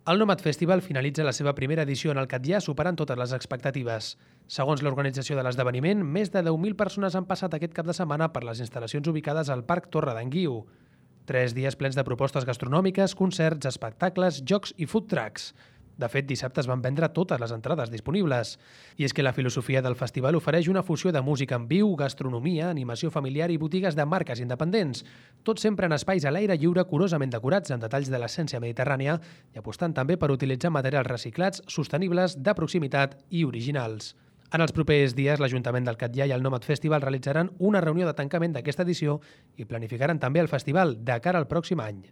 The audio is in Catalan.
El Nomad Festival finalitza la seva primera edició en el Catllar superant totes les expectatives. Segons l'organització de l'esdeveniment, més de 10.000 persones han passat aquest cap de setmana per les instal·lacions ubicades al Parc Torre d'en Guiu. 3 dies plens de propostes gastronòmiques, concerts, espectacles, jocs i food trucks. De fet, dissabte es van vendre totes les entrades disponibles. I és que la filosofia del festival ofereix una fusió de música en viu, gastronomia, animació familiar i botigues de marques independents, tot sempre en espais a l'aire lliure curosament decorats amb detalls de l'essència mediterrània i apostant també per utilitzar materials reciclats, sostenibles, de proximitat i originals. En els propers dies, l'Ajuntament del Catllar i el Nomad Festival realitzaran una reunió de tancament d'aquesta edició i planificaran també el festival de cara al pròxim any.